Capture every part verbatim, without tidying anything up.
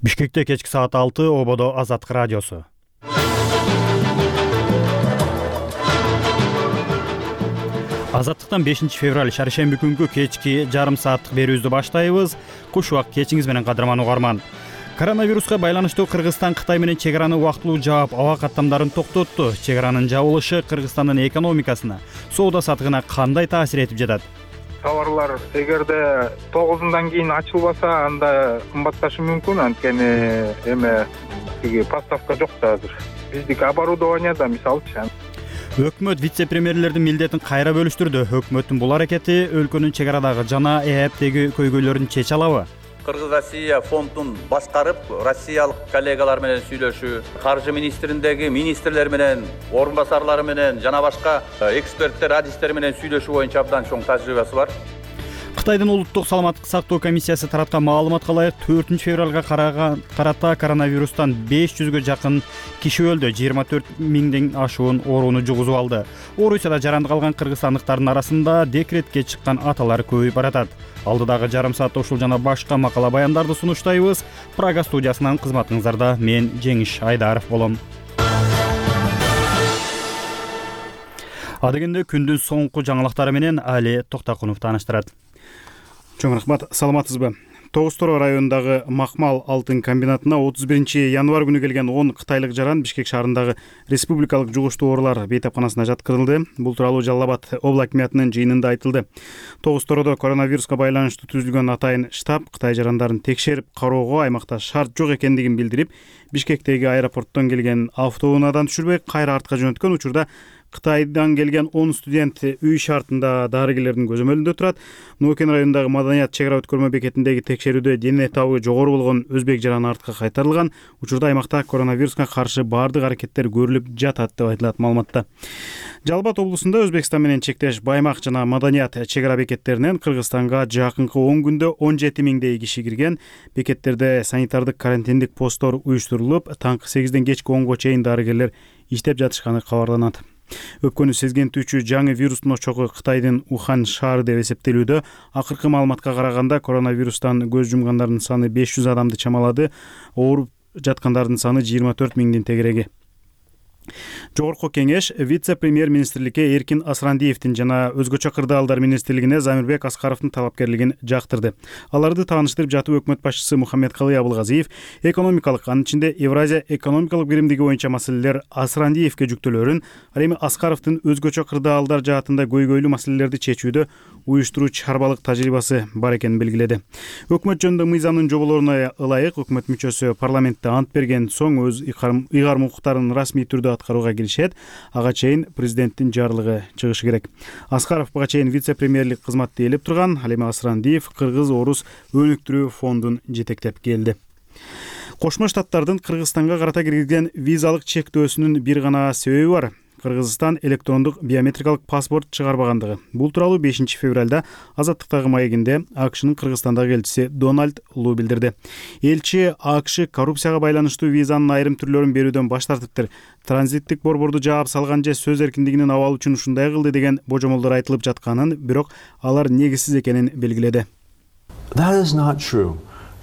Бишкекте кечки саат алты, ободо Азаттык радиосу. Азаттыктан бешинчи февраль шаршемби күнгү кечки жарым сааттык берүүбүздү баштайбыз. Куш убак кечиңиз менен кадырман угарман. Коронавируска байланыштуу Кыргызстан Кытай менен чек араны убактылуу жаап, аба каттамдарын токтотту. Чек аранын жабылышы Кыргызстандын экономикасына, соода сатыгына кандай таасир этип жатат? Товарлар эгерде тогузундан кийин ачылбаса, анда кымбатташы мүмкүн, анткени эме тиги поставка жок да азыр. Биздики оборудованияда мисалчы. Өкмөт вице-премьерлердин милдетин кайра бөлүштүрдү. Өкмөттүн бул аракети өлкөнүн чек арадагы жана ээптеги көйгөйлөрүн чече алабы? Кыргыз-Россия фондун башкарып, россиялык коллегалар менен сүйлөшүү, каржы министриндеги министрлер менен, орун басарлары менен жана башка эксперттер, адистер менен сүйлөшүү боюнча абдан чоң тажрыйбасы бар. Кытайдын улуттук саламаттык сактоо комиссиясы тараткан маалыматка ылайык төртүнчү февралга карата коронавирустан беш жүзгө жакын киши өлдү, жыйырма төрт миңден ашуун орууну жугузуп алды. Орусияда жаранды калган кыргызстандыктардын арасында декретке чыккан аталар көбөйүп баратат. Алдыдагы жарым саатта ушул жана башка макала баяндарды сунуштайбыз. Прага студиясынан кызматыңыздарда мен Жеңиш Айдаров болом. Адегенде күндүн соңку жаңылыктары менен Али Токтакунов тааныштырат. Чоң рахмат, саламатсызбы? Тогуз Тoro районундагы Макмал алтын комбинатына отуз биринчи январь күнү келген он кытайлык жаран Бишкек шаарындагы республикалык жугуштуу оорулар бейтапканасына жаткырылды. Бул тууралуу Жалал Абад облак акимиятынын жыйынында айтылды. Тогуз Toro'до коронавируска байланыштуу түзүлгөн атайын штаб Кытай жарандарын текшерип кароого аймакта шарт жок экендигин билдирип, Бишкектеги аэропорттон келген автоунаадан түшүрбөй кайра артка жөнөткөн учурда Кытайдан келген он студент үй шартында дарыгерлердин көзөмөлүндө турат. Нуокен районундагы Маданият чек ара өткөрмө бекетиндеги текшерүүдө дене табы жогору болгон өзбек жараны артка кайтарылган. Учурда аймакта коронавируска каршы баардык аракеттер көрүлүп жатат деп айтылат маалыматта. Жалал Абад облусунда Өзбекстан менен чектеш Баймак жана Маданият чек ара бекеттеринен Кыргызстанга жакынкы он күндө он жети миңдей киши кирген. Бекеттерде санитардык карантиндик посттор уюштурулуп, таңкы сегизден кечки онго чейин дарыгерлер иштеп жатышканы кабарланат. Өпкөнү сезгентүүчү жаңы вирустун очогу Кытайдын Ухан шаары деп эсептелүүдө. Акыркы маалыматка караганда коронавирустан көз жумгандардын саны беш жүз адамды чамалады. Ооруп жаткандардын саны жыйырма төрт миңдин тегереги. Жогорку кеңеш вице-премьер министрликке Эркин Асрандиевдин жана өзгөчө кырдаалдар министрлигине Замирбек Аскаровдун талапкерлигин жактырды. Аларды тааныштырып жатып өкмөт башчысы Мухаммедкалый Абылгазиев экономикалык, анын ичинде Евразия экономикалык биримдиги боюнча маселелер Асрандиевке жүктөлөрүн, ал эми Аскаровдун өзгөчө кырдаалдар жаатында көйгөйлүү маселелерди чечүүдө уюштуруу чарбалык тажрыйбасы бар экенин белгиледи. Өкмөт жөнүндө мыйзамдын жоболоруна ылайык өкмөт мүчөсү парламентте ант берген соң өз ыйгарым укуктарын расмий түрдө аткарууга киришет. Ага чейин президенттин жарлыгы чыгышы керек. Аскаров буга чейин вице-премьерлик кызматты ээлеп турган. Ал эми Асрандиев Кыргыз-Орус өнүктүрүү фондун жетектеп келди. Кошмо Штаттардын Кыргызстанга карата киргизген визалык чектөөсүнүн бир гана себеби бар. Кыргызстан электрондук биометрикалык паспорт чыгарбагандыгы. Бул тууралуу бешинчи февралда Азаттыктагы маегинде АКШнын Кыргызстандагы элчиси Дональд Лу билдирди. Элчи АКШ коррупцияга байланыштуу визанын айрым түрлөрүн берүүдөн баш тартыптыр. Транзиттик борборду жаап салган же сөз эркиндигинин абалы үчүн ушундай кылды деген божомолдор айтылып жатканын, бирок алар негизсиз экенин белгиледи. That is not true.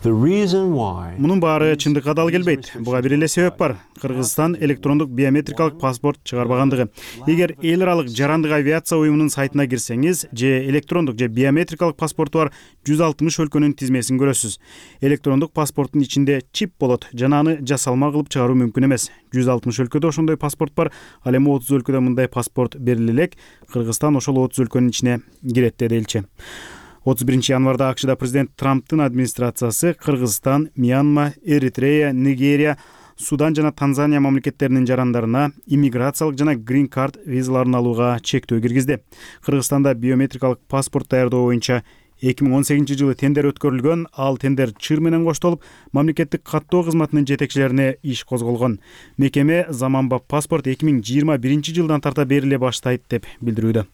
Мунун баары чындыкка дал келбейт. Буга бир эле себеп бар. Кыргызстан электрондук биометрикалык паспорт чыгарбагандыгы. Эгер эл аралык жарандык авиация уюмунун сайтына кирсеңиз, же электрондук же биометрикалык паспорту бар жүз алтымыш өлкөнүн тизмесин көрөсүз. Электрондук паспорттун ичинде чип болот, жана аны жасалма кылып чыгаруу мүмкүн эмес. жүз алтымыш өлкөдө ошондой паспорт бар. Ал эми отуз өлкөдө мындай паспорт бериле элек. Кыргызстан ошол отуз өлкөнүн ичине кирет, деди элчи. отуз биринчи январда АКШда президент Трамптын администрациясы Кыргызстан, Мьянма, Эритрея, Нигерия, Судан жана Танзания мамлекеттеринин жарандарына иммиграциялык жана грин карт визаларын алууга чектөө киргизди. Кыргызстанда биометрикалык паспорт даярдоо боюнча эки миң он сегизинчи жылы тендер өткөрүлгөн. Ал тендер чыр менен коштолуп, мамлекеттик каттоо кызматынын жетекчилерине иш козголгон. Мекеме заманбап паспорт эки миң жыйырма биринчи жылдан тарта бериле баштайт деп билдирүүдө.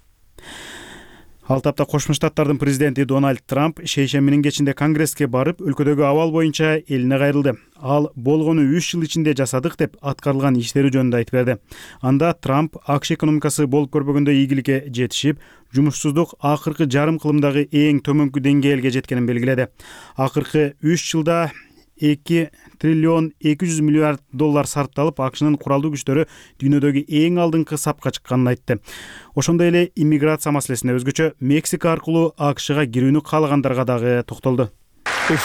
Ал тапта Кошмо Штаттардын президенти Дональд Трамп шейшембинин кечинде Конгресске барып, өлкөдөгү абал боюнча элине кайрылды. Ал болгону үч жыл ичинде жасадык деп аткарылган иштери жөнүндө айтып берди. Анда Трамп АКШ экономикасы болуп көрбөгөндө ийгиликке жетишип, жумушсуздук акыркы жарым кылымдагы эң төмөнкү деңгээлге жеткенин белгиледи. Акыркы үч жылда эки триллион эки жүз миллиард доллар сарпталып, АКШнын куралдуу күчтөрү дүйнөдөгү эң алдыңкы сапка чыкканын айтты. Ошондой эле иммиграция маселесине, өзгөчө Мексика аркылуу АКШга кирүүнү каалагандарга дагы токтолду. Мен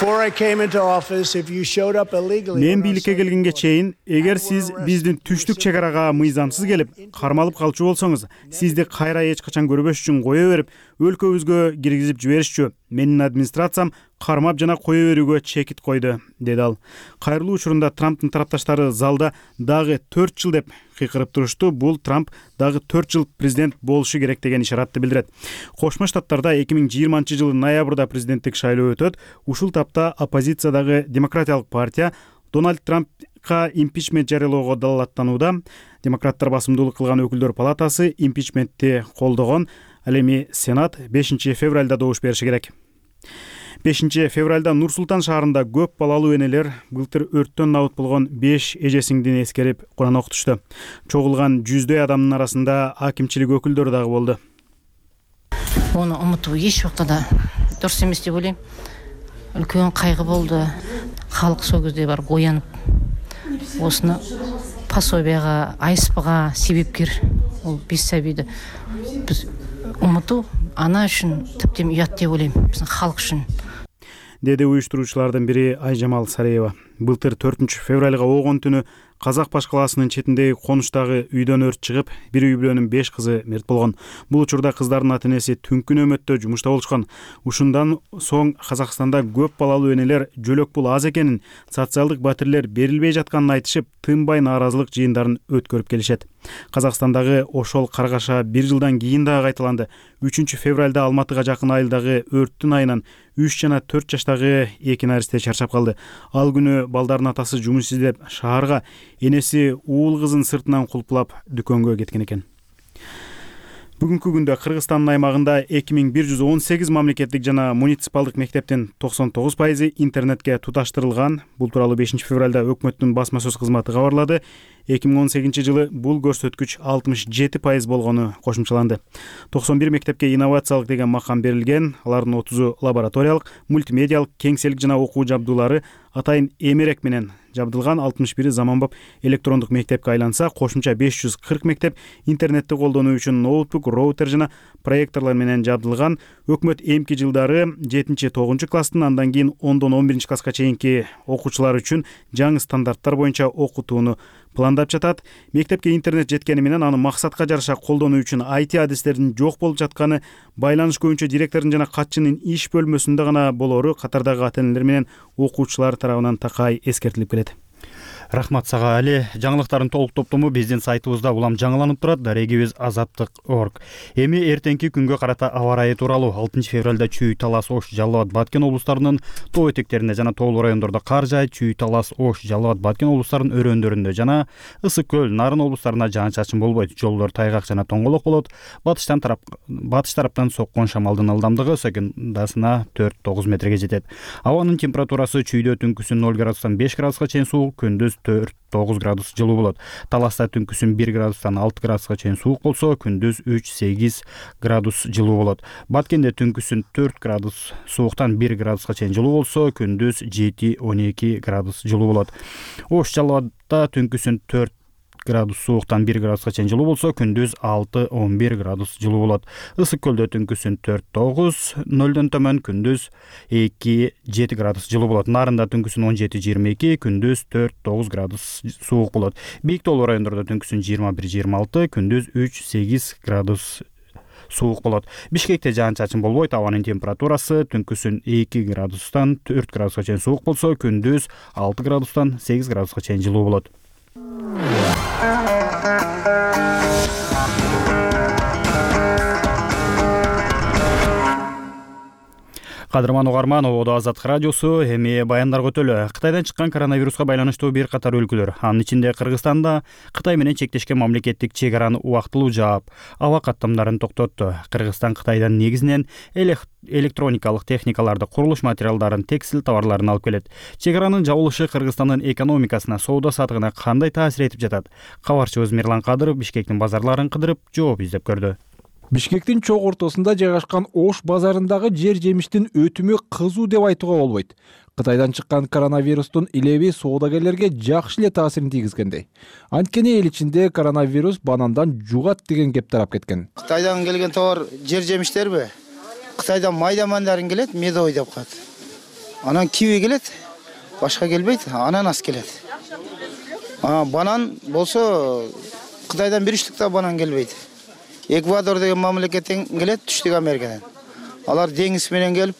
бийликке келгенге чейин, эгер сиз биздин түштүк чек арага мыйзамсыз келип, кармалып калчу болсоңуз, сизди кайра эч качан көрбөш үчүн кое берип, өлкөбүзгө киргизип жиберишчү. Менин администрациям кармап жана кое берүүгө чекит койду, деди ал. Кайрылуу учурунда Трамптын тарапташтары залда дагы төрт жыл деп кыйкырып турушту. Бул Трамп дагы төрт жыл президент болушу керек деген ишаратты билдирет. Кошмо Штаттарда эки миң жыйырманчы жылы ноябрда президенттик шайлоо өтөт. Ушул тапта оппозициядагы Демократиялык партия Дональд Трампка импичмент жарыялоого далаалаттанууда. Демократтар басымдуулук кылган өкүлдөр палатасы импичментти колдогон. Ал эми Сенат бешинчи февралда добуш бериши керек. бешинчи февралда Нур-Султан шаарында көп балалуу энелер былтыр өрттөн набыт болгон беш эже-сиңдини эскерип Куран окутушту. Чогулган жүздөй адамдын арасында акимчилик өкүлдөрү дагы болду. Оны умутуу эч убакта да дурус эмес деп ойлойм. Үлкөн кайгы болду. Халык сол кезде барып оянып, осуну пособияга, айспага себепкер ол беш сабийди биз умутуу ана үчүн типтен уят деп ойлойм, биздин халык үчүн, деди уюштуруучулардын бири Айжамал Сареева. Былтыр төртүнчү февралга огон түнү Казак Баш калаасынын четиндеги конуштагы үйдөн өрт чыгып, бир үй бүлөнүн беш кызы мерт болгон. Бул учурда кыздардын ата-энеси түнкү нөөмөттө жумушта болушкан. Ушундан соң Казакстанда көп балалуу энелер жөлөк бул аз экенин, социалдык батирлер берилбей жатканын айтышып, тынбай нааразылык жыйындарын өткөрүп келишет. Казакстандагы ошол каргаша бир жылдан кийин дагы кайталанды. үчүнчү февралда Алматыга жакын айылдагы өрттүн айынан үч жана төрт жаштагы эки наристе чарчап калды. Ал күнү балдардын атасы жумуш издеп шаарга, энеси уул кызын сыртынан кулпулап дүкөнгө кеткен экен. Бүгүнкү күндө Кыргызстандын аймагында эки миң бир жүз он сегиз мамлекеттик жана муниципалдык мектептин токсон тогуз пайызы интернетке туташтырылган. Бул тууралуу бешинчи февралда өкмөттүн басма сөз кызматы кабарлады. эки миң он сегизинчи жылы бул көрсөткүч алтымыш жети пайыз болгону кошумчаланды. токсон бир мектепке инновациялык деген макам берилген. Алардын отузу лабораториялык, мультимедиалык, кеңселик жана окуу жабдуулары атайын эмерек менен жабдылган. алтымыш бири заманбап электрондук мектепке айланса, кошумча беш жүз кырк мектеп интернетти колдонуу үчүн ноутбук, роутер жана проекторлор менен жабдылган. Өкмөт эмки жылдары жетинчи тогузунчу класстын, андан кийин ондон он биринчи класска чейинки окуучулар үчүн жаңы стандарттар боюнча окутууну пландап жатат. Мектепке интернет жеткени менен аны максатка жараша колдонуу үчүн ай ти адистердин жок болуп жатканы байланыш көбүнчө директордун жана катчынын иш бөлмөсүндө гана болору катардагы ата-энелер менен окуучулар тарабынан такай эскертилип келет. Рахмат сага Али. Жаңылыктардын толук топтому биздин сайтыбызда улам жаңыланып турат. Дарегибиз азаттык точка орг. Эми эртеңки күнгө карата аба ырайы тууралуу алтынчы февралда Чүй, Талас, Ош, Жалал абад, Баткен облустарынын тоо этектеринде жана тоолуу райондордо кар жаайт. Чүй, Талас, Ош, Жалал абад, Баткен облустарынын өрөөндөрүндө жана Ысык көл, Нарын облустарында жаан-чачын болбойт. Жолдор тайгак жана тоңголок болот. Батыштан тарап батыш тараптан соккон шамалдын ылдамдыгы секундасына төрт тогуз метрге жетет. Абанын температурасы Чүйдө түнкүсүн ноль градустан беш градуска чейин суук, күндүз төрт тогуз градус жылуу болот. Таласта түнкүсүн бир градустан алты градуска чейин суук болсо, күндүз үч сегиз градус жылуу болот. Баткенде түнкүсүн төрт градус сууктан бир градуска чейин жылуу болсо, күндүз жети он эки градус жылуу болот. Ош, Жалал абадда түнкүсүн төрт градус сууктан бир градуска чейин жылуу болсо, күндүз алты он бир градус жылуу болот. Ысык көлдө түнкүсүн төрт тогуз, нөлдөн төмөн, күндүз эки жети градус жылуу болот. Нарында түнкүсүн он жети жыйырма эки, күндүз төрт тогуз градус суук болот. Бийик тоолуу райондордо түнкүсүн жыйырма бир жыйырма алты, күндүз үч сегиз градус суук болот. Бишкекте жаан-чачын болбойт. Абанын температурасы түнкүсүн эки градустан төрт градуска чейин суук болсо, күндүз алты градустан сегиз градуска чейин жылуу болот. Кадырман угарман, Ободо Азаттык радиосу. Эми баяндар көтөлө. Кытайдан чыккан коронавируска байланыштуу бир катар өлкөлөр, анын ичинде Кыргызстанда Кытай менен чектешкен мамлекеттик чек араны убактылуу жаап, аба каттамдарын токтотту. Кыргызстан Кытайдан негизинен электроникалык техникаларды, курулуш материалдарын, текстиль товарларын алып келет. Чек аранын жабылышы Кыргызстандын экономикасына, соода сатыгына кандай таасир этип жатат? Кабарчыбыз Мирлан Кадыров Бишкектин базарларын кыдырып, жооп издеп көрдү. Бишкектин чоң ортосунда жайгашкан Ош базарындагы жер жемиштин өтүмү кызуу деп айтууга болбойт. Кытайдан чыккан коронавирустун илеби соодагерлерге жакшы эле таасирин тийгизгендей. Анткени эл ичинде коронавирус банандан жугат деген кеп тарап кеткен. Кытайдан келген товар жер жемиштерби? Кытайдан майда мандарын келет, медовый деп коет. Анан киви келет, башка келбейт, ананас келет. А банан болсо Кытайдан бир үчтүктө банан келбейт. Эквадор деген мамлекеттен келет, Түштүк Америкадан. Алар деңиз менен келип,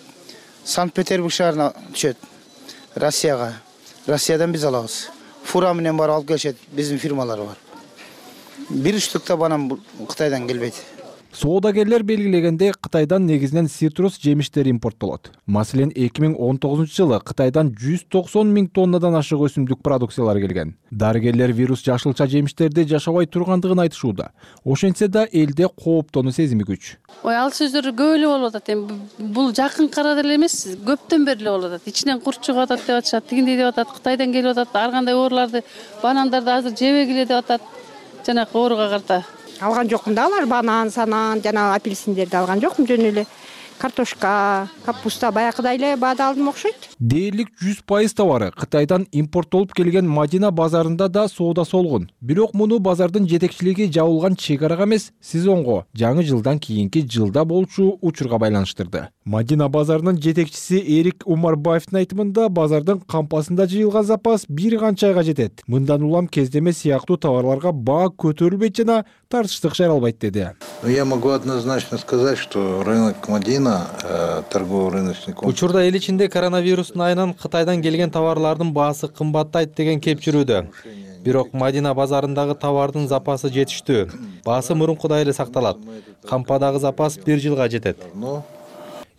Санкт-Петербург шаарына түшөт. Россияга. Россиядан биз алабыз. Фура менен барып алып келишет, биздин фирмалар бар. Бир үчтүктө банан Кытайдан келбейт. Соодагерлер белгилегенде Кытайдан негизинен цитрус жемиштери импорттолот. Маселен, эки миң он тогузунчу жылы Кытайдан жүз токсон миң тоннадан ашык өсүмдүк продукциялар келген. Дарыгерлер вирус жашылча жемиштерди жашабай тургандыгын айтышууда. Ошентсе да элде кооптонуу сезими күч. Ой, ал сөздөр көп эле болуп атат. Эми бул жакын карада эле эмес, көптөн бери эле болуп атат. Ичинен курт чыгып атат деп атышат, тигиндей деп атат, Кытайдан келип атат, ар кандай ооруларды, банандарды азыр жебегиле деп атат. Жанакы ооруга карата. Алган жокмун да, алар банан, санан, жана апельсиндерди алган жокмун, жөн эле картошка, капуста баягыдай эле баада алдым окшойт. Дээрлик жүз пайыз товары Кытайдан импорттолуп келген Мадина базарында да соода солгун. Бирок муну базардын жетекчилиги жабылган чек-арага эмес, сезонго, жаңы жылдан кийинки жылда болчу учурга байланыштырды. Мадина базарынын жетекчиси Эрик Умарбаевдин айтымында базардын кампасында жыйылган запас бир канча айга жетет. Мындан улам кездеме сыяктуу товарларга баа көтөрүлбөйт жана тартыштык жаралбайт деди. Я могу однозначно сказать, что рынок Мадина, торгово-рыночный комплекс. Учурда эл ичинде коронавирустун айынан Кытайдан келген товарлардын баасы кымбаттайт деген кеп жүрүүдө. Бирок Мадина базарындагы товардын запасы жетиштүү. Баасы мурункудай эле сакталат. Кампадагы запас бир жылга жетет.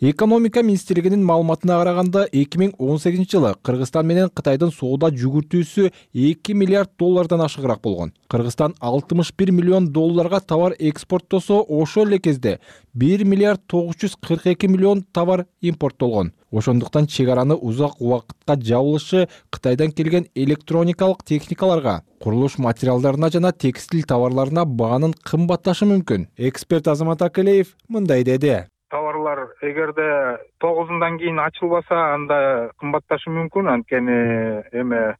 Экономика министрлигинин маалыматына караганда эки миң он сегизинчи жылы Кыргызстан менен Кытайдын соода жүгүртүүсү эки миллиард доллардан ашыгыраак болгон. Кыргызстан алтымыш бир миллион долларга товар экспорттосо, ошол эле кезде бир миллиард тогуз жүз кырк эки миллион товар импорттолгон. Ошондуктан чек араны узак убакытка жабылышы Кытайдан келген электроникалык техникаларга, курулуш материалдарына жана текстиль товарларына баанын кымбатташы мүмкүн. Эксперт Азамат Акелеев мындай деди. Товарлар эгерде тогузундан кийин ачылбаса, анда кымбатташы мүмкүн, анткени эме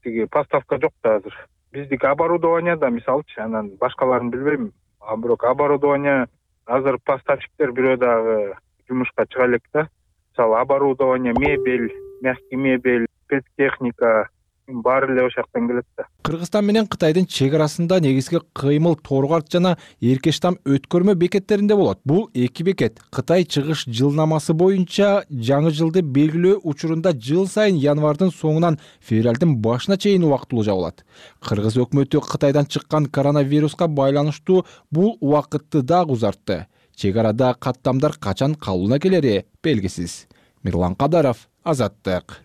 тиги поставка жок да азыр. Биздики оборудование да мисалчы, анан башкаларын билбейм, а бирок оборудование азыр поставщиктер бирөө дагы жумушка чыга элек да. Мисалы оборудование, мебель, мягкий мебель, спецтехника баары эле ошол жактан келет да. Кыргызстан менен Кытайдын чек арасында негизги кыймыл Торгарт жана Эркештам өткөрмө бекеттеринде болот. Бул эки бекет Кытай чыгыш жылнамасы боюнча жаңы жылды белгилөө учурунда жыл сайын январдын соңунан февралдын башына чейин убактылуу жабылат. Кыргыз өкмөтү Кытайдан чыккан коронавируска байланыштуу бул убакытты дагы узартты. Чек арада каттамдар качан калууна келери белгисиз. Мирлан Кадаров, Азаттык.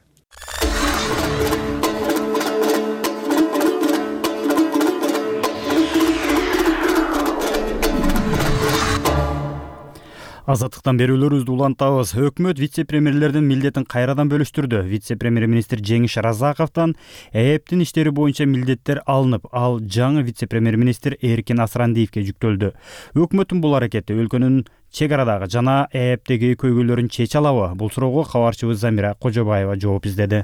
Азаттыктан берүүлөрүбүздү улантабыз. Өкмөт вице-премьерлердин милдетин кайрадан бөлүштүрдү. Вице-премьер-министр Жеңиш Разаковдон ЭЭПтин иштери боюнча милдеттер алынып, ал жаңы вице-премьер-министр Эркин Асрандиевке жүктөлдү. Өкмөттүн бул аракети өлкөнүн чек арадагы жана ЭЭПтеги көйгөйлөрүн чече алабы? Бул суроого кабарчыбыз Замира Кожобаева жооп издеди.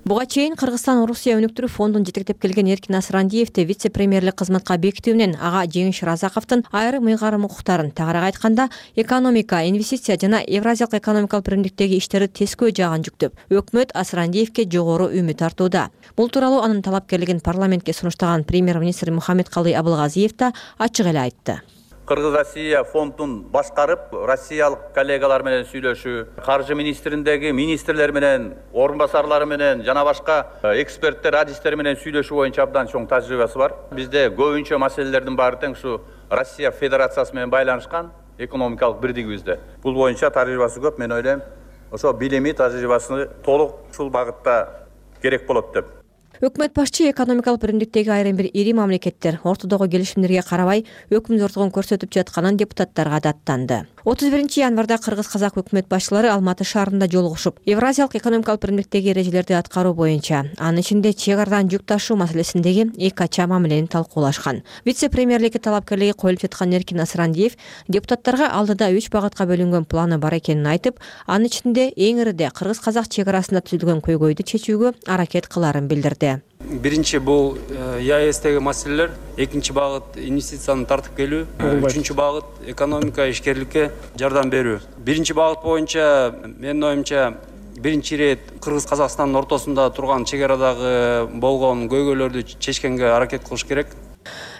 Буга чейин Кыргызстан Орусия өнүктүрүү фондун жетектеп келген Эркин Асрандиевди вице-премьерлик кызматка бекитүү менен ага Жеңиш Разаковдун айрым ыйгарым укуктарын, тагыраак айтканда, экономика, инвестиция жана Евразиялык экономикалык биримдиктеги иштерди тескөө жагын жүктөп, өкмөт Асрандиевке жогору үмүт артууда. Бул тууралуу анын талапкерлигин парламентке сунуштаган премьер-министр Мухаммедкалый Абылгазиев да ачык эле айтты. Кыргыз-Россия фондун башкарып, россиялык коллегалар менен сүйлөшүү, каржы министриндеги министрлер менен, орун басарлары менен жана башка эксперттер, адистер менен сүйлөшүү боюнча абдан чоң тажрыйбасы бар. Бизде көбүнчө маселелердин баары тең ушу Россия Федерациясы менен байланышкан экономикалык бирдигибизде. Бул боюнча тажрыйбасы көп, мен ойлойм. Ошо билими, тажрыйбасы толук ушул багытта керек болот деп. Өкмөт башчы экономикалык биримдиктеги айрым бир ири мамлекеттер ортодогу келишимдерге карабай өкүм зордугун көрсөтүп жатканын депутаттарга даттанды. отуз биринчи январда кыргыз-казак өкмөт башчылары Алматы шаарында жолугушуп, Евразиялык экономикалык биримдиктеги эрежелерди аткаруу боюнча, анын ичинде чек арадан жүк ташуу маселесиндеги эки ача мамилени талкуулашкан. Вице-премьерликке талапкерлиги коюлуп жаткан Эркин Асрандиев депутаттарга алдыда үч багытка бөлүнгөн планы бар экенин айтып, анын ичинде эң ириде кыргыз-казак чек арасында түзүлгөн көйгөйдү чечүүгө аракет кылаарын билдирди. Биринчи бул ЕАЭСтеги маселелер, экинчи багыт инвестицияны тартып келүү, үчүнчү багыт экономика ишкерликке жардам берүү. Биринчи багыт боюнча менин оюмча биринчи ирет Кыргыз-Казакстандын ортосунда турган чек арадагы болгон көйгөйлөрдү чечкенге аракет кылыш керек.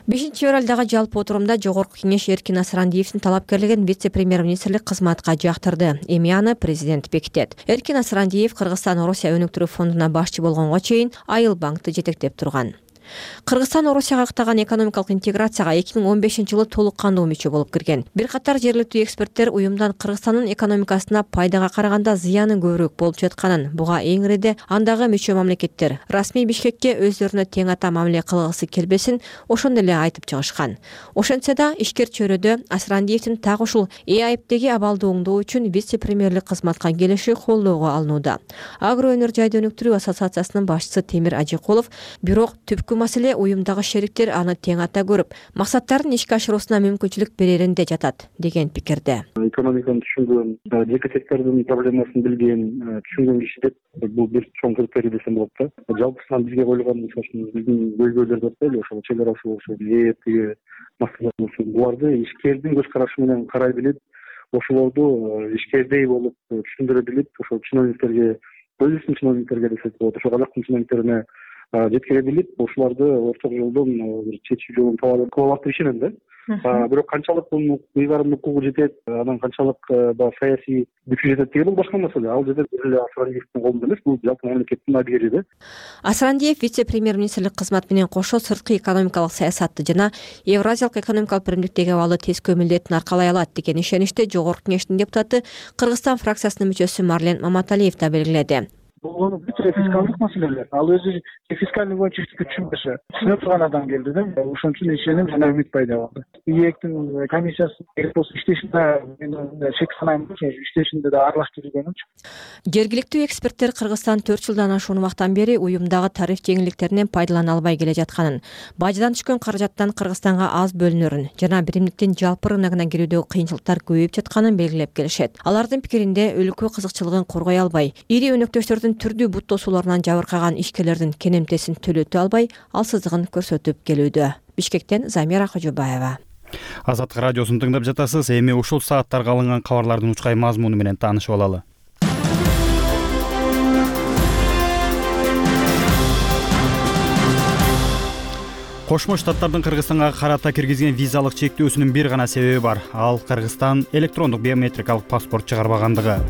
бешинчи февралдагы жалпы отурумда Жогорку кеңеш Эркин Асрандиевдин талапкерлигин вице-премьер-министрлик кызматка жактырды. Эми аны президент бекитет. Эркин Асрандиев Кыргызстан Орусия өнүктүрүү фондуна башчы болгонго чейин Айыл банкты жетектеп турган. Кыргызстан Орусияга ыктаган экономикалык интеграцияга эки миң он бешинчи жылы толук кандуу мүчө болуп кирген. Бир катар жергиликтүү эксперттер уюмдан Кыргызстандын экономикасына пайдага караганда зыяны көбүрөөк болуп жатканын, буга эң ириде андагы мүчө мамлекеттер расмий Бишкекке өздөрүнө тең ата мамиле кылгысы келбесин ошондой эле айтып чыгышкан. Ошентсе да ишкер чөйрөдө Асрандиевдин так ушул ЭАИПтеги абалды оңдоо үчүн вице-премьерлик кызматка келиши колдоого алынууда. Агро өнөр жайды өнүктүрүү ассоциациясынын башчысы Темир Ажикулов бирок түпкү маселе уюмдагы шериктер аны тең ата көрүп, максаттарын ишке ашыруусуна мүмкүнчүлүк береринде жатат деген пикирде. Экономиканы түшүнгөн, жеке сектордун проблемасын билген, түшүнгөн киши деп бул бир чоң критерий десем болот да. Жалпысынан бизге коюлган биздин көйгөйлөр деп коелу, ошол чек арасы болсо, ЭАЭПтеги маселелер болсо, буларды ишкердин көз карашы менен карай билип, ошолорду ишкердей болуп түшүндүрө билип, ошол чиновниктерге, өзүбүздүн чиновниктерге десек болот, ошол казактын чиновниктерине жеткире билип, ошоларды орток жолдон бир чечүү жолун таба алат деп ишенем да. Бирок канчалык мунун ыйгарым укугу жетет, анан канчалык баягы саясий күчү жетет деген бул башка маселе. Ал жерде эле Асрандиевдин колунда эмес, бул жалпы мамлекеттин абийири да. Асрандиев вице-премьер-министрлик кызматы менен кошо сырткы экономикалык саясатты жана Евразиялык экономикалык биримдиктеги абалы тескөө милдетин аркалай алат деген ишеничти Жогорку кеңештин депутаты Кыргызстан фракциясынын мүчөсү Марлен Маматалиев да белгиледи. Бул бүт фискалдык маселелер. Ал өзү фискалдык боюнча түшүнбөсө, түшүнө турган адам келди да. Ошон үчүн ишеним жана үмүт пайда болду. ИЭКтин комиссиясы керек болсо иштешинде мен шек санайм, иштешинде да аралаштырылганчы. Жергиликтүү эксперттер Кыргызстан төрт жылдан ашуун убактан бери уюмдагы тариф жеңилдиктеринен пайдалана албай келе жатканын, баждан түшкөн каражаттан Кыргызстанга аз бөлүнөрүн жана биримдиктин жалпы рыногуна кирүүдөгү кыйынчылыктар көбөйүп жатканын белгилеп келишет. Алардын пикиринде өлкө кызыкчылыгын коргой албай, ири өнөктөштөрдүн түрдүү бут тосууларынан жабыркаган ишкерлердин кенемтесин төлөтө албай, алсыздыгын көрсөтүп келүүдө. Бишкектен Замира Кожобаева. Азаттык радиосун тыңдап жатасыз. Эми ушул сааттарга алынган кабарлардын учкай мазмуну менен таанышып алалы. Кошмо Штаттардын Кыргызстанга карата киргизген визалык чектөөсүнүн бир гана себеби бар. Ал Кыргызстан электрондук биометрикалык паспорт чыгарбагандыгы.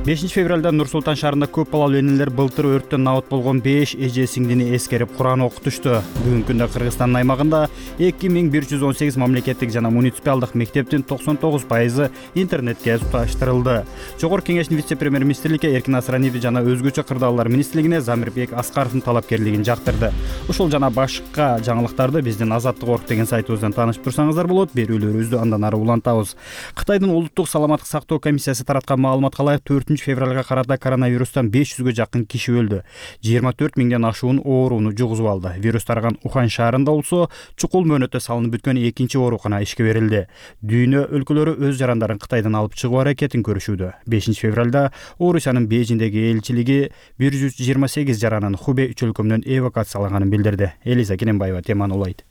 бешинчи февралда Нур-Султан шаарында көп балалуу энелер былтыр өрттөн набыт болгон беш эже сиңдини эскерип Куран окутушту. Бүгүнкү күндө Кыргызстандын аймагында эки миң бир жүз он сегиз мамлекеттик жана муниципалдык мектептин токсон тогуз пайызы интернетке туташтырылды. Жогорку кеңештин вице-премьер-министрликке Эркин Асрандиев жана өзгөчө кырдаалдар министрлигине Замирбек Аскаровдун талапкерлигин жактырды. Ушул жана башка жаңылыктарды биздин Азаттык орг деген сайтыбыздан таанышып турсаңыздар болот. Берүүлөрүбүздү андан ары улантабыз. Кытайдын улуттук саламаттык сактоо комиссиясы тараткан маалыматка ылайык төртүнчү февралга карата коронавирустан беш жүзгө жакын киши өлдү. жыйырма төрт миңден ашуун ооруну жугузуп алды. Вирус тараган Ухань шаарында болсо чукул мөөнөттө салынып бүткөн экинчи оорукана ишке берилди. Дүйнө өлкөлөрү өз жарандарын Кытайдан алып чыгуу аракетин көрүшүүдө. бешинчи февралда Орусиянын Бейжиңдеги элчилиги бир жүз жыйырма сегиз жаранын Хубей үч өлкөмүнөн эвакуациялаганын билдирди. Элиза Кененбаева теманы улайт.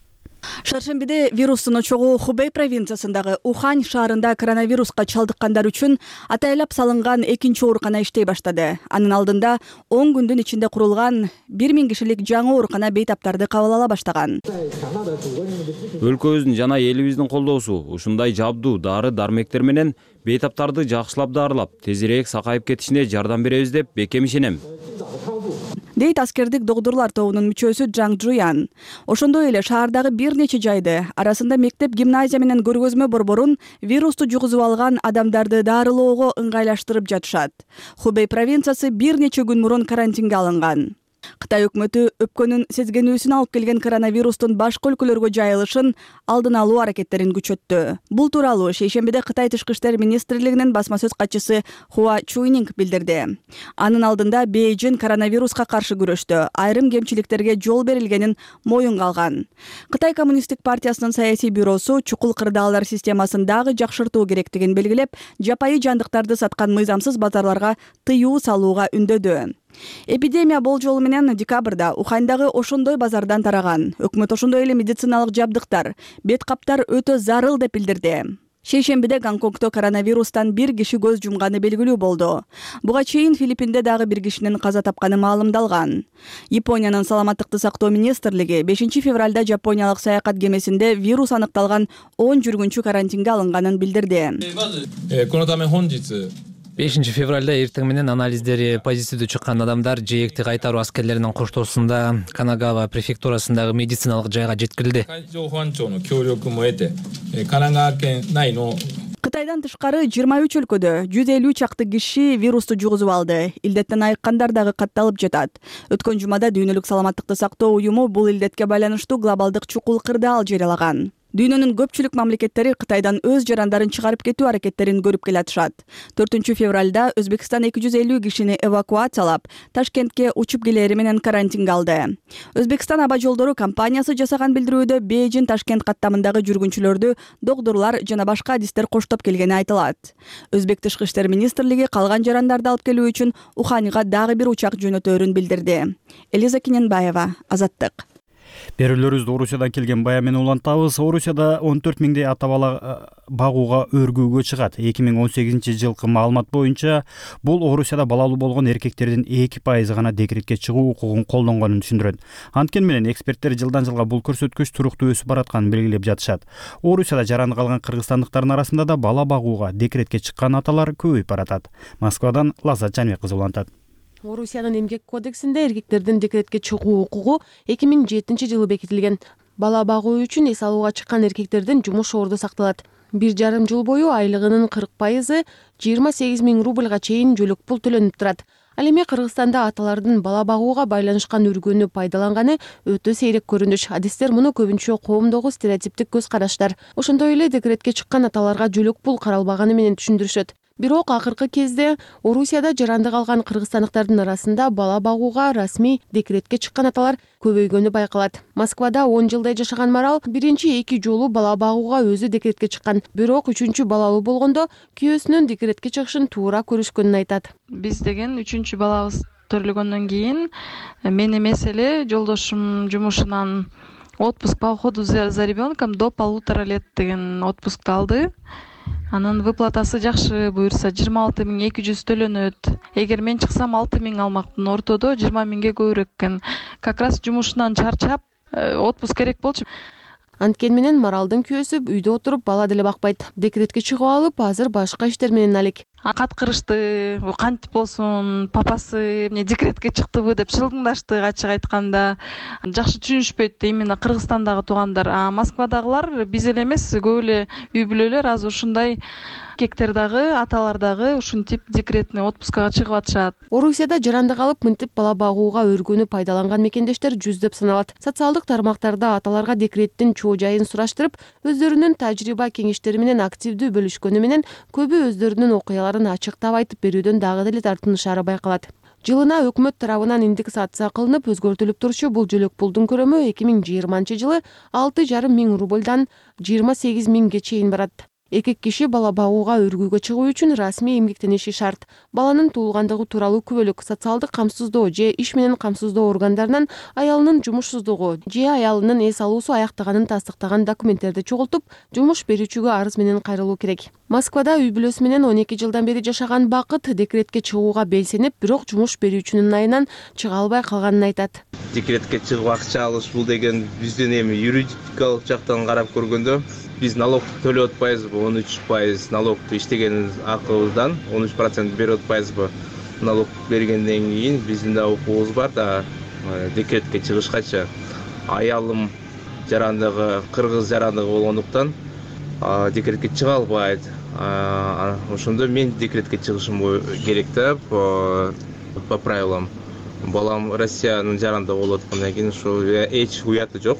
Шаршембиде вирустун очогу Хубей провинциясындагы Ухань шаарында коронавируска чалдыккандар үчүн атайлап салынган экинчи оорукана иштей баштады. Анын алдында он күндүн ичинде курулган бир миң кишилик жаңы оорукана бейтаптарды кабыл ала баштаган. Өлкөбүздүн жана элибиздин колдоосу ушундай жабдуу дары дармектер менен бейтаптарды жакшылап даарылап, тезирээк сакайып кетишине жардам беребиз деп бекем ишенем. Дейт аскердик докторлор тобунун мүчөсү Жаң Жуян. Ошондой эле шаардагы бир нече жайды, арасында мектеп, гимназия менен көргөзмө борборун вирусту жугузуп алган адамдарды даарылоого ыңгайлаштырып жатышат. Хубей провинциясы бир нече күн мурун карантинге алынган. Кытай өкмөтү өпкөнүн сезгенүүсүн алып келген коронавирустун башка өлкөлөргө жайылышын алдын алуу аракеттерин күчөттү. Бул тууралуу шейшембиде Кытай тышкы иштер министрлигинин басма сөз катчысы Хуа Чуйнинг билдирди. Анын алдында Бейжин коронавируска каршы күрөштө айрым кемчиликтерге жол берилгенин моюнга алган. Кытай коммунисттик партиясынын саясий бюросу чукул кырдаалдар системасын дагы жакшыртуу керектигин белгилеп, жапайы жандыктарды саткан мыйзамсыз базарларга тыюу салууга үндөдү. Эпидемия болжолу менен декабрда Ухандагы ошондой базардан тараган. Өкмөт ошондой эле медициналык жабдыктар, бет каптар өтө зарыл деп билдирди. Шейшембиде Гонконгдо коронавирустан бир киши көз жумганы белгилүү болду. Буга чейин Филиппинде дагы бир кишинин каза тапканы маалымдалган. Япониянын саламаттыкты сактоо министрлиги бешинчи февралда жапониялык саякат кемесинде вирус аныкталган он жүргүнчү карантинге алынганын билдирди. бешинчи февралда эртең менен анализдери позитивдүү чыккан адамдар жээкти кайтаруу аскерлеринин коштоосунда Канагава префектурасындагы медициналык жайга жеткирилди. Кытайдан тышкары жыйырма үч өлкөдө жүз элүү чакты киши вирусту жугузуп алды. Илдеттен айыккандар дагы катталып жатат. Өткөн жумада Дүйнөлүк саламаттыкты сактоо уюму бул илдетке байланыштуу глобалдык чукул кырдаал жарыялаган. Дүйнөнүн көпчүлүк мамлекеттери Кытайдан өз жарандарын чыгарып кетүү аракеттерин көрүп келатышат. төртүнчү февралда Өзбекстан эки жүз элүү кишини эвакуациялап, Ташкентке учуп келери менен карантинге алды. Өзбекстан аба жолдору компаниясы жасаган билдирүүдө Бейжин Ташкент каттамындагы жүргүнчүлөрдү докторлор жана башка адистер коштоп келгени айтылат. Өзбек тышкы иштер министрлиги калган жарандарды алып келүү үчүн Уханьга дагы бир учак жөнөтөөрүн билдирди. Элиза Кененбаева, Азаттык. Берүүлөрүбүздү Орусиядан келген бая менен улантабыз. Орусияда он төрт миңдей ата бала багууга өргүүгө чыгат. эки миң он сегизинчи жылкы маалымат боюнча бул Орусияда балалуу болгон эркектердин эки пайызы гана декретке чыгуу укугун колдонгонун түшүндүрөт. Анткени менен эксперттер жылдан жылга бул көрсөткүч туруктуу өсүп баратканын белгилеп жатышат. Орусияда жараны калган кыргызстандыктардын арасында да бала багууга декретке чыккан аталар көбөйүп баратат. Москвадан Лаззат Жанбек кызы улантат. Орусиянын эмгек кодексинде эркектердин декретке чыгуу укугу эки миң жетинчи жылы бекитилген. Бала багуу үчүн эс алууга чыккан эркектердин жумуш орду сакталат. Бир жарым жыл бою айлыгынын кырк пайызы жыйырма сегиз миң рубльга чейин жөлөк пул төлөнүп турат. Ал эми Кыргызстанда аталардын бала багууга байланышкан үргөнү пайдаланганы өтө сейрек көрүнүш. Адистер муну көбүнчө коомдогу стереотиптик көз караштар. Ошондой эле декретке чыккан аталарга жөлөк пул каралбаганы менен түшүндүрүшөт. Бирок акыркы кезде Орусияда жаранды калган кыргызстандыктардын арасында бала багууга расмий декретке чыккан аталар көбөйгөнү байкалат. Москвада он жылдай жашаган Марал биринчи эки жолу бала багууга өзү декретке чыккан. Бирок үчүнчү балалуу болгондо күйөөсүнүн декретке чыгышын туура көрүшкөнүн айтат. Биз деген үчүнчү балабыз төрөлгөндөн кийин мен эмес эле жолдошум жумушунан отпуск по уходу за ребенком до полутора лет деген отпускту алды. Анын выплатасы жакшы, буюрса жыйырма алты миң эки жүз төлөнөт. Эгер мен чыксам алты миң алмакмын, ортодо жыйырма миңге көбүрөөк экен. Как раз жумушунан чарчап, отпуск керек болчу. Анткени менен Маралдын күйөөсү үйдө отуруп бала деле бакпайт. Декретке чыгып алып, азыр башка иштер менен алек. Каткырышты, кантип болсун, папасы эмне декретке чыктыбы деп шылдыңдашты, ачык айтканда. Жакшы түшүнүшпөйт именно Кыргызстандагы туугандар. А Москвадагылар биз эле эмес, көп эле үй бүлөлөр азыр ушундай эркектер дагы, аталар дагы ушинтип декретный отпускага чыгып атышат. Орусияда жаранды калып мынтип бала багууга өргөнү пайдаланган мекендештер жүздөп саналат. Социалдык тармактарда аталарга декреттин чоо жайын сураштырып, өздөрүнүн тажрыйба кеңештери менен активдүү бөлүшкөнү менен көбү өздөрүнүн окуяларын ачыктап айтып берүүдөн дагы деле тартынышары байкалат. Жылына өкмөт тарабынан индексация кылынып өзгөртүлүп турчу бул жөлөк пулдун көрөмү эки миң жыйырманчы жылы алты жарым миң рубльдан жыйырма сегиз миңге чейин барат. Эки киши бала багууга өргүүгө чыгуу үчүн расмий эмгектениши шарт. Баланын туулгандыгы тууралуу күбөлүк, социалдык камсыздоо же иш менен камсыздоо органдарынан аялынын жумушсуздугу же аялынын эс алуусу аяктаганын тастыктаган документтерди чогултуп, жумуш берүүчүгө арыз менен кайрылуу керек. Москвада үй бүлөсү менен он эки жылдан бери жашаган Бакыт декретке чыгууга белсенип, бирок жумуш берүүчүнүн айынан чыга албай калганын айтат. Декретке чыгып акча алыш бул деген биздин эми юридикалык жактан карап көргөндө биз налог төлөп атпайбызбы? он үч пайыз налогду иштеген акыбыздан он үч процент берип атпайбызбы? Налог бергенден кийин биздин да укугубуз бар да декретке чыгышкача. Аялым жарандыгы кыргыз жарандыгы болгондуктан декретке чыга албайт. Ошондо мен декретке чыгышым керек да по правилам. балам Россиянын жаранда болуп аткандан кийин ошо эч уяты жок.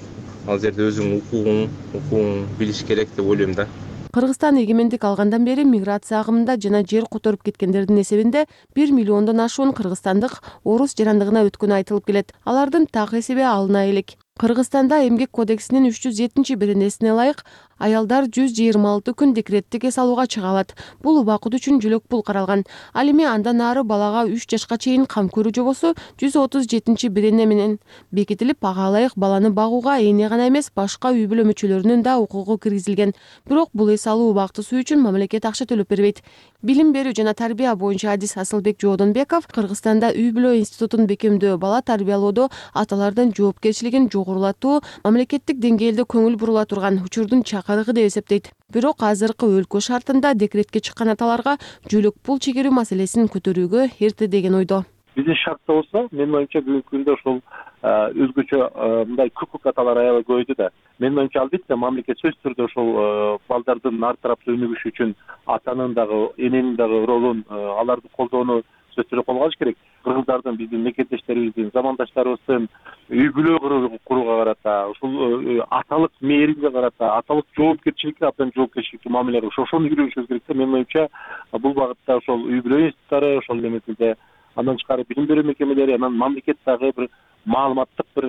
Ал жерде өзүң укугуң, укугуң билиш керек деп ойлойм да. Кыргызстан эгемендик алгандан бери миграция агымында жана жер которуп кеткендердин эсебинде бир миллиондон ашуун кыргызстандык орус жарандыгына өткөнү айтылып келет. Алардын так эсеби алына элек. Кыргызстанда эмгек кодексинин үч жүз жетинчи беренесине ылайык аялдар жүз жыйырма алты күн декреттик эс алууга чыга алат. Бул убакыт үчүн жөлөк пул каралган. Ал эми андан ары балага үч жашка чейин кам көрүү жобосу жүз отуз жетинчи берене менен бекитилип, ага ылайык баланы багууга эне гана эмес, башка үй бүлө мүчөлөрүнүн да укугу киргизилген. Бирок бул эс алуу убактысы үчүн мамлекет акча төлөп бербейт. Билим берүү жана тарбия боюнча адис Асылбек Жоодонбеков Кыргызстанда үй бүлө институтун бекемдөө, бала тарбиялоодо аталардын жоопкерчилигин жогорулатуу мамлекеттик деңгээлде көңүл бурула турган учурдун чакырыгы деп эсептейт. Бирок азыркы өлкө шартында декретке чыккан аталарга жөлөк пул чегерүү маселесин көтөрүүгө эрте деген ойдо. Биздин шартта болсо, менин оюмча бүгүнкү күндө ошол өзгөчө мындай көкөк аталар аябай көбөйдү да. Менин оюмча албетте мамлекет сөзсүз түрдө ошол балдардын ар тараптуу өнүгүшү үчүн атанын дагы, эненин дагы ролун, аларды колдоону сөзсүз түрдө колго алыш керек. Кыргыздардын, биздин мекендештерибиздин, замандаштарыбыздын үй бүлө курууга карата, ушул аталык мээримге карата, аталык жоопкерчиликке абдан жоопкерчиликтүү мамиле кылыш, ошону үйрөнүшүбүз керек да. Менин оюмча бул багытта ошол үй бүлө институттары, ошол эметинде андан тышкары билим берүү мекемелери, анан мамлекет дагы бир маалыматтык бир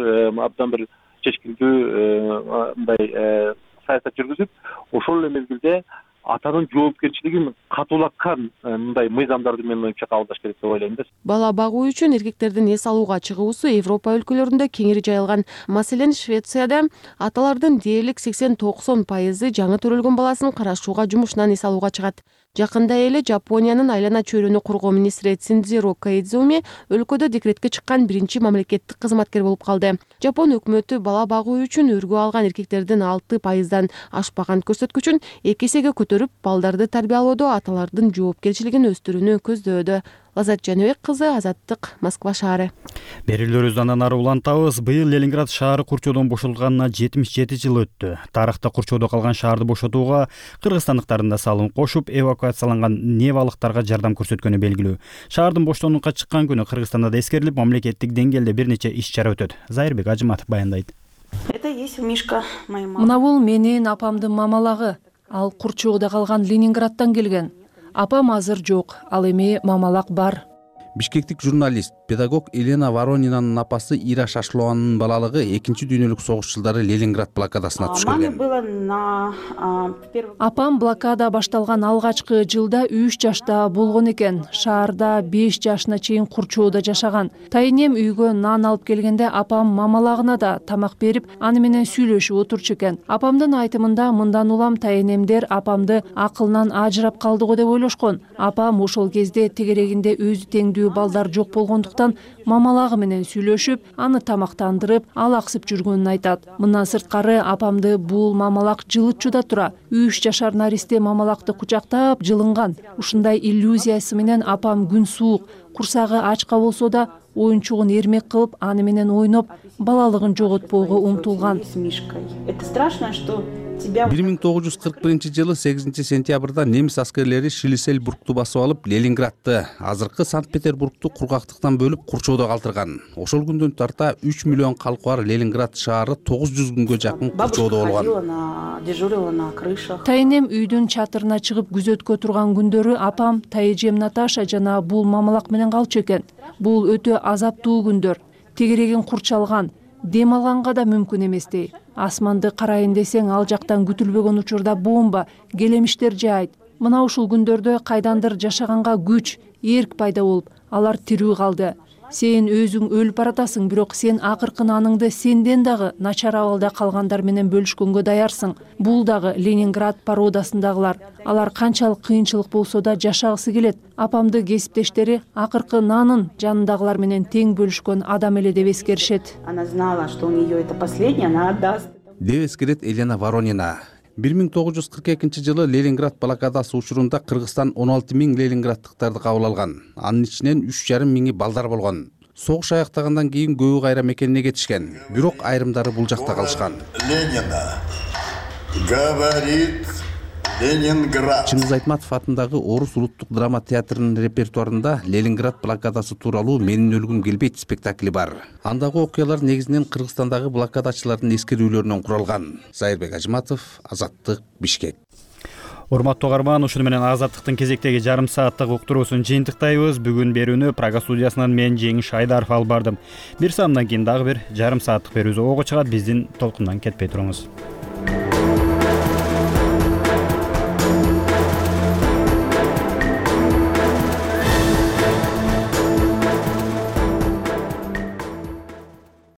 абдан бир чечкиндүү мындай саясат жүргүзүп, ошол эле мезгилде атанын жоопкерчилигин катуулаткан мындай мыйзамдарды менин оюмча кабылдаш керек деп ойлойм да. Бала багуу үчүн эркектердин эс алууга чыгуусу Европа өлкөлөрүндө кеңири жайылган. Маселен, Швецияда аталардын дээрлик сексен токсон пайызы жаңы төрөлгөн баласын карашууга жумушунан эс алууга чыгат. Жакында эле Жапониянын айлана чөйрөнү коргоо министри Синдзиро Коидзуми өлкөдө декретке чыккан биринчи мамлекеттик кызматкер болуп калды. Жапон өкмөтү бала багуу үчүн өргө алган эркектердин алты пайыздан ашпаган көрсөткүчүн эки эсеге көтөрүп, балдарды тарбиялоодо аталардын жоопкерчилигин өстүрүүнү көздөөдө. Лазат Жаныбек кызы, Азаттык, Москва шаары. Берүүлөрүбүздү андан ары улантабыз. Быйыл Ленинград шаары курчоодон бошотулганына жетимиш жети жыл өттү. Тарыхта курчоодо калган шаарды бошотууга кыргызстандыктардын да салым кошуп, эвакуацияланган невалыктарга жардам көрсөткөнү белгилүү. Шаардын боштоонлукка чыккан күнү Кыргызстанда да эскерилип, мамлекеттик деңгээлде бир нече иш-чара өтөт. Зайырбек Ажыматов баяндайт. Это есть Мишка, моя мама. Мына бул менин апамдын мамалагы. Ал курчоодо калган Ленинградтан келген. Апам азыр жок, ал эми мамалак бар. Бишкектик журналист, педагог Елена Воронинанын апасы Ира Шашлованын балалыгы экинчи дүйнөлүк согуш жылдары Ленинград блокадасына туш келген. Апам блокада башталган алгачкы жылда үч жашта болгон экен. Шаарда беш жашына чейин курчоодо жашаган. Тайнем үйгө нан алып келгенде апам мамалагына да тамак берип, аны менен сүйлөшүп отурчу экен. Апамдын айтымында мындан улам тайнемдер апамды акылынан ажырап калдыго деп ойлошкон. Апам ошол кезде тегерегинде өзү теңдүү балдар жок болгондуктан мамалагы менен сүйлөшүп, аны тамактандырып, алаксып жүргөнүн айтат. Мындан сырткары апамды бул мамалак жылытчу да тура. үч жашар наристе мамалакты кучактап жылынган. Ушундай иллюзиясы менен апам күн суук, курсагы ачка болсо да оюнчугун эрмек кылып, аны менен ойноп, балалыгын жоготпоого умтулган. Это страшно, что бир миң тогуз жүз кырк биринчи жылы сегизинчи сентябрда немис аскерлери Шлиссельбургту басып алып, Ленинградты, азыркы Санкт-Петербургту кургактыктан бөлүп курчоодо калтырган. Ошол күндөн тарта үч миллион калкы бар Ленинград шаары тогуз жүз күнгө жакын курчоодо болгон. Тайнем үйдүн чатырына чыгып күзөткө турган күндөрү апам тайэжем Наташа жана бул мамалак менен калчу экен. Бул өтө азаптуу күндөр. Тегерегин курчалган, дем алганга да мүмкүн эместей. Асманды карайын десең, ал жактан күтүлбөгөн учурда бомба, келемиштер жаайт. Мына ушул күндөрдө кайдандыр жашаганга күч, эрк пайда болуп, алар тирүү калды. Сен өзүң өлүп баратасың, бирок сен акыркы аныңды сенден дагы начар абалда калгандар менен бөлүшкөнгө даярсың. Бул дагы Ленинград породасындагылар. Алар канчалык кыйынчылык болсо да жашагысы келет. Апамды кесиптештери акыркы нанын жанындагылар менен тең бөлүшкөн адам эле деп эскеришет. Она знала, что у нее это последнее, она отдаст. Деп эскерет Елена Воронина. бир миң тогуз жүз кырк экинчи жылы Ленинград блокадасы учурунда Кыргызстан он алты миң ленинградтыктарды кабыл алган. Анын ичинен үч жарым миңи балдар болгон. Согуш аяктагандан кийин көбү кайра мекенине кетишкен. Бирок айрымдары бул жакта калышкан. Ленина говорит Ленинград. Чыңгыз Айтматов атындагы Орус улуттук драма театрынын репертуарында Ленинград блокадасы тууралуу Менин өлгүм келбейт спектакли бар. Андагы окуялар негизинен Кыргызстандагы блокадачылардын эскерүүлөрүнөн куралган. Зайырбек Ажыматов, Азаттык, Бишкек. Урматтуу угарман, ушуну менен Азаттыктын кезектеги жарым сааттык уктуруусун жыйынтыктайбыз. Бүгүн берүүнү Прага студиясынан мен Жеңиш Айдаров алып бардым. Бир саамдан кийин дагы бир жарым сааттык берүүбүз ого чыгат. Биздин толкундан кетпей туруңуз.